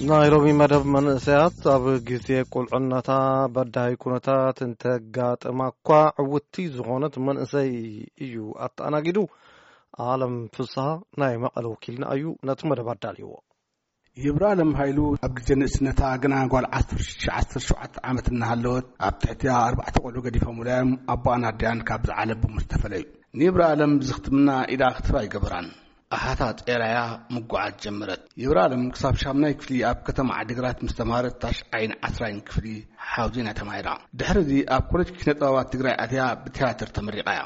ናይ ሎሚ መደብ መንእሰያት ኣብ ግዜ ቁልዕነታ በዳሂ ኩነታት እንተጋጥማ እኳ ዕውትቲ ዝኾነት መንእሰይ እዩ ኣተኣናጊዱ። ኣለም ፍስሃ ናይ መቐለ ወኪልና እዩ ነቲ መደብ ኣዳልይዎ። ይብራለም ሃይሉ ኣብ ግዜ ንእስነታ ግና ጓል ዓሰርተ ሽዱሽተ ዓሰርተ ሸውዓተ ዓመት እናሃለወት ኣብ ትሕቲኣ ኣርባዕተ ቆልዑ ገዲፎምላ እዮም ኣቦኣን ኣዲኣን ካብ ዝዓለቡ ምስ ተፈለዩ። ንይብራለም ብዝኽትምና ኢዳ ክትህብ ኣይገበራን። ኣሓታ ጤራያ ምጉዓዝ ጀመረት። ይብራለም ክሳብ ሻምናይ ክፍሊ ኣብ ከተማ ዓዲግራት ምስ ተማሃረት ታሽዓይን ዓስራይን ክፍሊ ሓውዜና ተማሂራ። ድሕሪ እዚ ኣብ ኮሌጅ ኪነ ጥበባት ትግራይ ኣትያ ብትያትር ተመሪቓ እያ።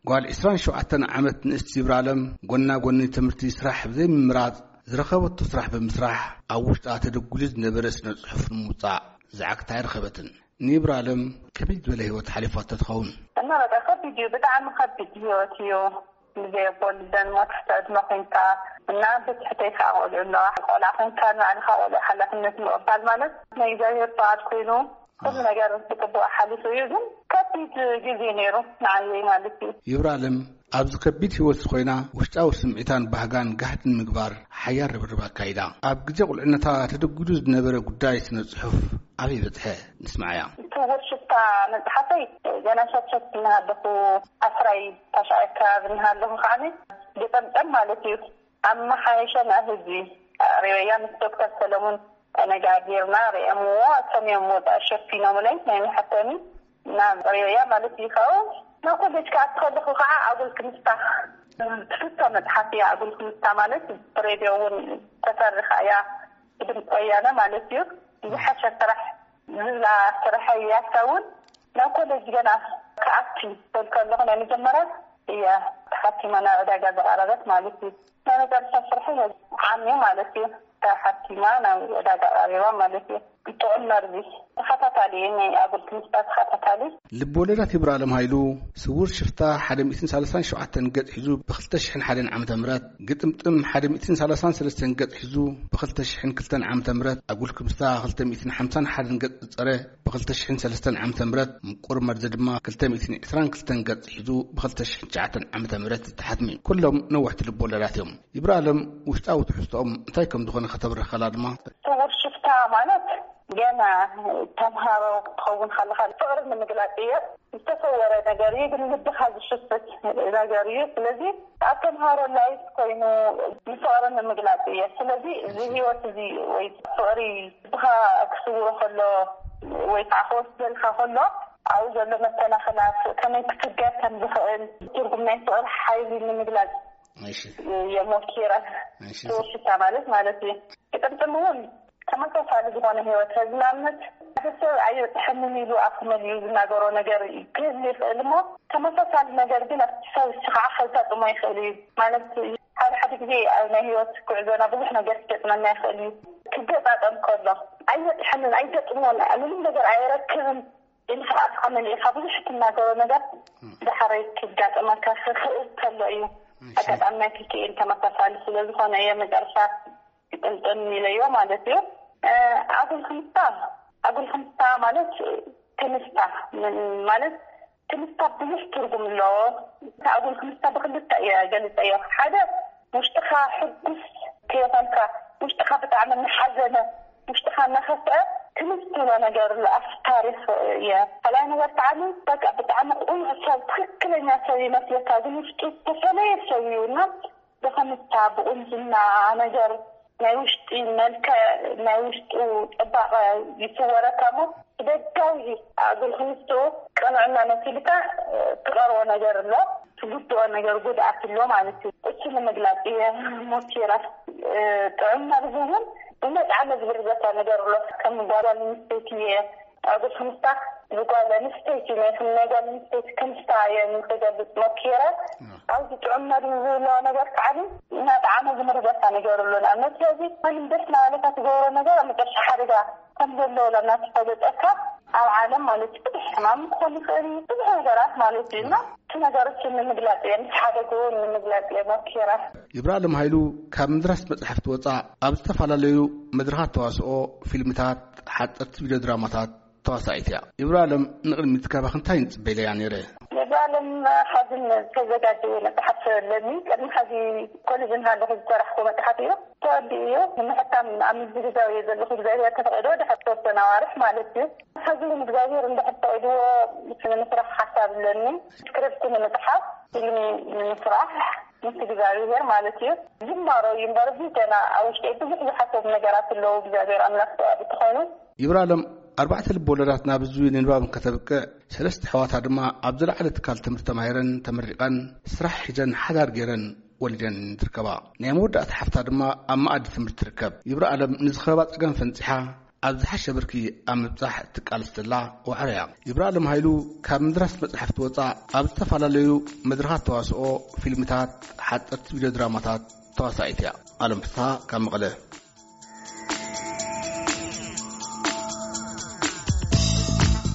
ጓል ዕስራን ሸውዓተን ዓመት ንእስቲ ይብራለም ጎና ጎኒ ትምህርቲ ስራሕ ብዘይምምራጽ ዝረኸበቶ ስራሕ ብምስራሕ ኣብ ውሽጣ ተደጉሉ ዝነበረ ስነ ጽሑፍ ንምውጻእ ዛዕግታ ኣይረኸበትን። ንይብራለም ከመይ ዝበለ ህይወት ሓሊፋቶ ትኸውን? እና በቃ ከቢድ እዩ፣ ብጣዕሚ ከቢድ ህይወት እዩ። ብዘይ ኣቦ ልደን ሞት ትሕቲ ዕድመ ኮይንካ እና ብትሕተይ ከዓ ቆልዑ ኣለዋ። ቆልዓ ኮይንካ ንባዕልኻ ቆልዑ ሓላፍነት ምቕባል ማለት ናይ እግዚኣብሔር ፍቓድ ኮይኑ ኩሉ ነገር ብፅቡቅ ሓሊፉ እዩ። ግን ከቢድ ግዜ ነይሩ ንዓየይ ማለት እዩ። ይብራለም ኣብዚ ከቢድ ህይወት ኮይና ውሽጣዊ ስምዒታን ባህጋን ጋህድን ምግባር ሓያል ርብርብ ኣካይዳ። ኣብ ግዜ ቁልዕነታ ተደጉዱ ዝነበረ ጉዳይ ስነ ጽሑፍ ኣበይ በጽሐ? ንስማዓያ። ስውር ሽፍታ መጽሓፈይ ገና ሸትሸት እናሃለኹ ዓስራይ ታሽዓይ ከባቢ እናሃለኹ ከዓኒ ግጥምጥም ማለት እዩ። ኣመሓየሸ ናይ ህዝቢ ሬበያ ምስ ዶክተር ሰለሙን ነጋ ጌርና ርእየምዎ፣ እቶም እዮም ወፃኢ ሸፊኖምለይ ናይ መሐተሚ ናብ ሬበያ ማለት እዩ። ካብኡ ናብ ኮሌጅ ክኣቱ ከለኹ ከዓ ኣጉል ክምስታ ትፍቶ መፅሓፍ እያ። ኣጉል ክምስታ ማለት ብሬድዮ እውን ተፈርኻ እያ፣ ብድምፂ ወያነ ማለት እዩ። ዝሓሸ ስራሕ ዝብላ ስራሕ እያ። እሳ እውን ናብ ኮሌጅ ገና ክኣቲ ክብል ከለኹ ናይ መጀመርያ እያ ተሓቲማ ናብ ዕዳጋ ዝቐረበት ማለት እዩ። ናይ መጨረሻ ስርሐይ ዓምዩ ማለት እዩ። ተሓቲማ ናብ ዕዳጋ ቀሪባ ማለት እዩ። ጥዑም መርዚ ተኸታታሊ ናይ ኣጉል ትምህርታ ተኸታታሊ። ልብ ወለዳት ይብራለም ሃይሉ ስውር ሽፍታ ሓደ ሚእትን ሰላሳን ሸውዓተን ገጽ ሒዙ ብኽልተ ሽሕን ሓደን ዓመተ ምህረት፣ ግጥምጥም ሓደ ሚእትን ሰላሳን ሰለስተን ገጽ ሒዙ ብኽልተ ሽሕን ክልተን ዓመተ ምህረት፣ ኣጉል ክምስታ ክልተ ሚእትን ሓምሳን ሓደን ገጽ ዝጸረ ብኽልተ ሽሕን ሰለስተን ዓመተ ምህረት፣ ምቁር መርዚ ድማ ክልተ ሚእትን ዕስራን ክልተን ገጽ ሒዙ ብኽልተ ሽሕን ትሽዓተን ዓመተ ምህረት ዝተሓትሙ ኩሎም ነዋሕቲ ልብ ወለዳት እዮም። ይብራለም ውሽጣዊ ትሕዝቶኦም እንታይ ከም ዝኾነ ከተብርኸላ ድማ። ስውር ሽፍታ ማለት ገና ተምሃሮ ክትኸውን ከለኻ ፍቕሪ ንምግላጽ እየ። ዝተሰወረ ነገር እዩ፣ ግን ልብኻ ዝሽፍት ነገር እዩ። ስለዚ ኣብ ተምሃሮ ላይፍ ኮይኑ ንፍቕሪ ንምግላጽ እየ። ስለዚ እዚ ህይወት እዚ ወይ ፍቕሪ ልብኻ ክስውሮ ከሎ ወይ ከዓ ክወስደልካ ከሎ ኣብኡ ዘሎ መሰናኽላት ከመይ ክትገር ከም ዝኽእል ትርጉም ናይ ፍቕሪ ሓይሊ ንምግላጽ እሺ። እየ ሞኪረ። እሺ። ስውር ሽፍታ ማለት ማለት እዩ። ግጥምጥም እውን ተመሳሳሊ ዝኾነ ህይወት፣ ንኣብነት ሓደ ሰብ ኣየጥሕንን ኢሉ ኣፍ መሊኡ ዝናገሮ ነገር ክህሉ ይኽእል እሞ ተመሳሳሊ ነገር ግን ኣብቲ ሰብ እሱ ከዓ ከጋጥሞ ይኽእል እዩ። ማለት ሓደ ሓደ ግዜ ኣብ ናይ ህይወት ጉዕዞና ብዙሕ ነገር ክገጥመና ይኽእል እዩ። ክገጣጠም ከሎ ኣየጥሕንን ኣይገጥሞን ምንም ነገር ኣይረክብን ኢልካ ኣፍካ መሊእካ ብዙሕ ትናገሮ ነገር ዳሕረይ ክጋጥመካ ክኽእል ከሎ እዩ። እሺ። ኣጋጣሚ ናይ ክልቲኤን ተመሳሳሊ ስለ ዝኾነ እየ መጨረሻ ግጥምጥም ኢለዮ ማለት እዩ። እ፣ ኣጉል ክምስታ፣ ኣጉል ክምስታ ማለት ክምስታ ምን-፣ ማለት ክምስታ ብዙሕ ትርጉም ኣለዎ። ኣጉል ክምስታ ብክልተ እየ ገልጸዮ። ሓደ ውሽጥኻ ሕጉስ ከይኾንካ፣ ውሽጥኻ ብጣዕሚ እናሓዘነ፣ ውሽጥኻ እናኸፍአ ክምስት ኢሎ ነገር ኣሎ። ኣብቲ ታሪኽ እየ። ካልኣይ ነገር ከዓ በቃ ብጣዕሚ ቁኑዕ ሰብ፣ ትኽክለኛ ሰብ ይመስለካ፣ ግን ውሽጡ ዝተፈለየ ሰብ እዩ እና ብኽምስታ፣ ብቁንጅና ነገር፣ ናይ ውሽጢ መልክዕ፣ ናይ ውሽጡ ፅባቐ ይስወረካ እሞ ብደጋዊ ኣጉል ክምስቱ ቅንዕና መሲልካ ትቐርቦ ነገር ኣሎ፣ ትጉድኦ ነገር ጉድኣት ኣሎ ማለት እዩ። እሱ ንምግላፅ እየ ሞኪረ። ጥዑም መርዚ እውን ብመጥዓሚ ዝብርዘካ ነገር ኣሎ። ከም ጓል ኣንስተይቲ እየ ኣጉል ክምስታ ብጓል ኣንስተይቲ ናይ፣ ናይ ጓል ኣንስተይቲ ክምስታ እየ ንክገልፅ ሞኪረ። ኣብዚ ጥዑም መርዚ ዝብሎ ነገር ከዓ እናጠዓመ ዝምርዘካ ነገር ኣሎ። ንኣብነት ስለዚ ማንም ደስ እናበለካ ትገብሮ ነገር ኣብ መጨረሻ ሓደጋ ከም ዘለዎ እናተፈለጠካ ኣብ ዓለም ማለት እዩ። ብዙሕ ሕማም ክኾን ይኽእል እዩ፣ ብዙሕ ነገራት ማለት እዩ። እና እቲ ነገር እሱ ንምግላፅ እየ፣ ምስ ሓደግኡ ንምግላፅ እየ ሞኪረ። ይብራለም ሃይሉ ካብ ምድራስ መፅሓፍቲ ወፃእ ኣብ ዝተፈላለዩ መድረኻት ተዋስኦ፣ ፊልምታት፣ ሓፀርቲ ቪድዮ ድራማታት ተዋሳኢት እያ። ይብራለም ንቕድሚት ካባኺ እንታይ ንጽበ ኢለያ ነይረ። ይብራለም ሓዝን ተዘጋጀየ መጽሓፍ ኣለኒ። ቅድሚ ሓዚ ኮሌጅ እናሃለኹ ዝሰራሕኩ መጽሓፍ እዩ። ተወዲኡ እዩ። ንምሕታም ኣብ ምዝግዛው እየ ዘለኹ። እግዚኣብሔር ተፈቒዶ ድሕሪ ዝተወሰነ ኣዋርሕ ማለት እዩ። ሕዚ እውን እግዚኣብሔር እንድሕር ፈቒድዎ ንምስራሕ ሓሳብ ኣለኒ። ስክሪፕት ንምጽሓፍ፣ ፊልም ንምስራሕ ምስ እግዚኣብሔር ማለት እዩ። ጅማሮ እዩ እምበር፣ እዚ ገና ኣብ ውሽጠይ ብዙሕ ዝሓሰቡ ነገራት ኣለዉ። እግዚኣብሔር ኣምላክ ሰብኣዊ ተኾይኑ ይብራለም ኣርባዕተ ልብ ወለዳት ናብ ህዝቢ ንንባብ እንከተብቅዕ፣ ሰለስተ ኣሕዋታ ድማ ኣብ ዝለዓለ ትካል ትምህርቲ ተማሂረን ተመሪቐን፣ ስራሕ ሒዘን፣ ሓዳር ገይረን፣ ወሊደን ትርከባ። ናይ መወዳእታ ሓፍታ ድማ ኣብ መኣዲ ትምህርቲ ትርከብ። ይብራለም ንዝኸባ ጸገም ፈንጺሓ ኣብ ዝሓሸ ብርኪ ኣብ ምብጻሕ ትቃለስ ዘላ ዋዕሮ እያ። ይብራለም ሃይሉ ካብ ምድራስ መጽሓፍቲ ወጻእ ኣብ ዝተፈላለዩ መድረኻት ተዋስኦ፣ ፊልምታት፣ ሓጸርቲ ቪድዮ ድራማታት ተዋሳኢት እያ። ኣለም ፍስሃ ካብ መቐለ።